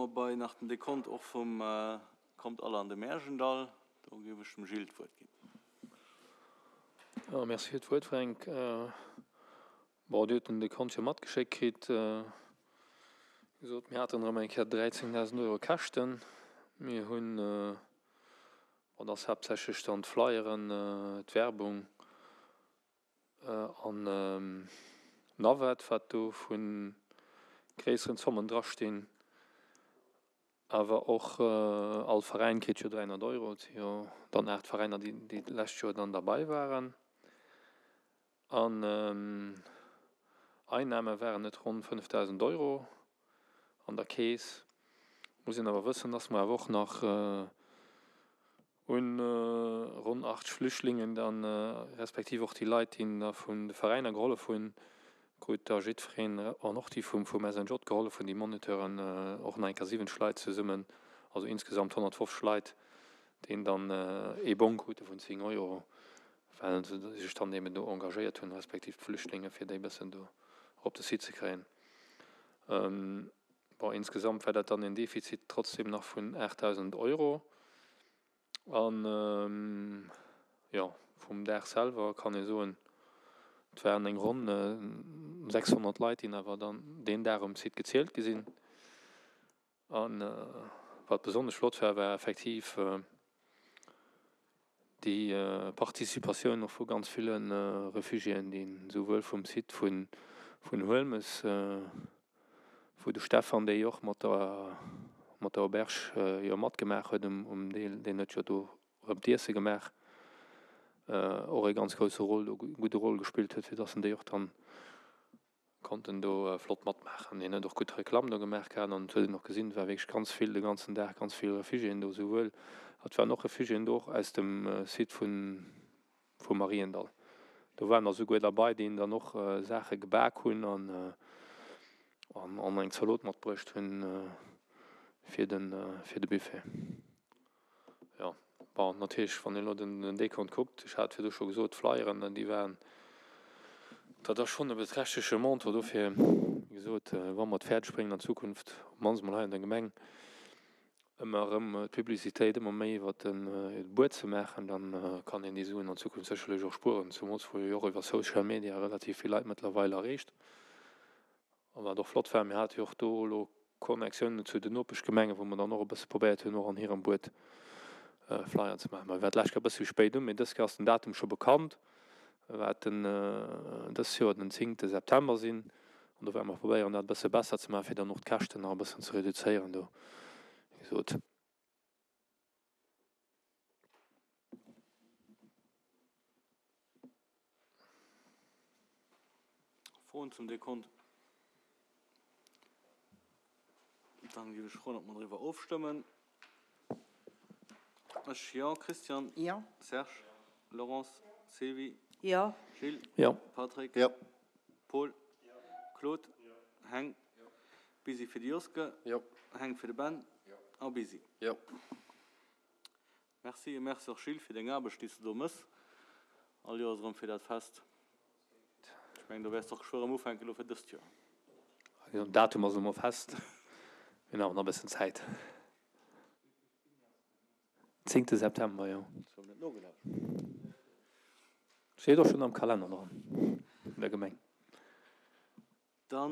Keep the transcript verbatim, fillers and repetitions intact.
Mer bei nach den Dekont och vum Kommt alle an de Märjendall. Do géif ech dem Gilles d'Wuert ginn. Jo, merci fir d'Wuert, Fränk. Bon, Dir hutt den Dekont jo matgeschéckt kritt. Wéi gesot, mir haten erëm eng Kéier dräizéngdausend Euro Käschten. Mir hunn, bon, dat ass haaptsächlech dann d'Flyeren, d'Werbung an Navette, wat do vu gréisseren Zommen drastinn. Awer och all Veräin kritt jo dräihonnert Euro. Et si jo dann aacht Veräiner, déi déi d'lescht Joer dann derbei waren. An Einnahme waren et ronn fënnefdausend Euro an der Keess. Muss een awer wëssen, dass mer awer och nach un ronn achtzeg Flüchtlingen dann, respektiv och déi Leit, déi da vun de Veräiner gehollef hunn, krut da jiddwereen, an och déi vum vum S N J gehollef hunn, déi Moniteuren, och nach eng Kéier siwwenzeg Leit zesummen, also insgesamt honnertfofzeg Leit, déi dann ee Bong krute vun zéng Euro, well se sech dann eben do engagéiert hunn, respektiv d'Flüchtlinge, fir déi e bëssen do op de Site ze kréien. Bon, insgesamt war dat dann en Defizit trotzdem nach vun aachtdausend Euro. An, jo, vum Dag selwer kann ee soen, et waren eng ronn sechshonnert Leit, déi awer dann deen Dag um Site gezielt gi sinn. A wat besonnesch flott war, war effektiv déi Participatioun och vu ganz ville Refugiéen, déi souwuel vum Site vun Huelmes, wou de Stefan, dee jo och mat der mat der Auberge jo matgemaach huet um um Deel, deen huet jo do erëm d'Iesse gemaach, och ee ganz grousse Rôle do, gudde Rôle gespillt huet, fir dass en déi och dann konnten do flott matmaachen. Hien huet och gutt Reklamm do gemaach gehat an et huet een och gesinn, et war wierklech ganz vill de ganzen Dag, ganz vill Refugiéen do, souwuel, et waren och Refugiéen do och aus dem Site vun vum Mariendall. Do waren der souguer derbei, déi dann och Saache gebak hunn an an eng Zalot matbruecht hunn fir de fir de Buffet. Jo, bon, natierlech, wann een elo den Dekont kuckt, ech hat virdu scho gesot, d'Flyeren, déi waren, dat ass schonn e beträchtleche Montant. Dofir, wéi gesot, wa mer et fäerdeg bréngen an Zukunft, op d'mannst emol hei an der Gemeng, ëmmer erëm d'Publicitéit ëmmer méi iwwer de Buet ze maachen, da kann een déi Suen an Zukunft sécherlech och spueren, zemools wou jo och iwwer Social Media relativ vill Leit mëttlerweil erreecht. A wat och flott war, mir hate jo och do elo Connectiounen zu den Nopeschgemengen, wou mer dann och e bësse probéiert hunn, och an hirem Buet Flyer ze maachen. Mer war d'lescht Kéier e bësse méi spéit un, mee dës Kéier ass den Datum scho bekannt, wat den dës Joer den zéngte September sinn. An do wäerte mer probéieren, dat e bësse besser ze maachen, fir dann och d'Käschten nach e bëssen ze reduzéieren do, wéi gesot. Froen zum Dekont? Dann géif ech froen, ob mer driwwer ofstëmmen. Ech, jo. Christian? Jo. Serge? Laurence? Sylvie? Jo. Gilles? Jo. Patrick? Jo. Paul? Claude? Heng? Busy fir de Joske? Jo. Heng fir de Ben? A Busy? Jo. Merci. E Merci och Gilles fir deng Aarbecht, déi s de do mëss all Joers erëm fir dat Fest. Ech mengen, do wäers de och geschwë erëm ufänken elo fir dëst Joer. Den Datum ass elo mol fest. Mir hunn awer nach e bëssen Zäit. Zéngte September, jo. Steet och schonn am Kalenner dran vun der Gemeng.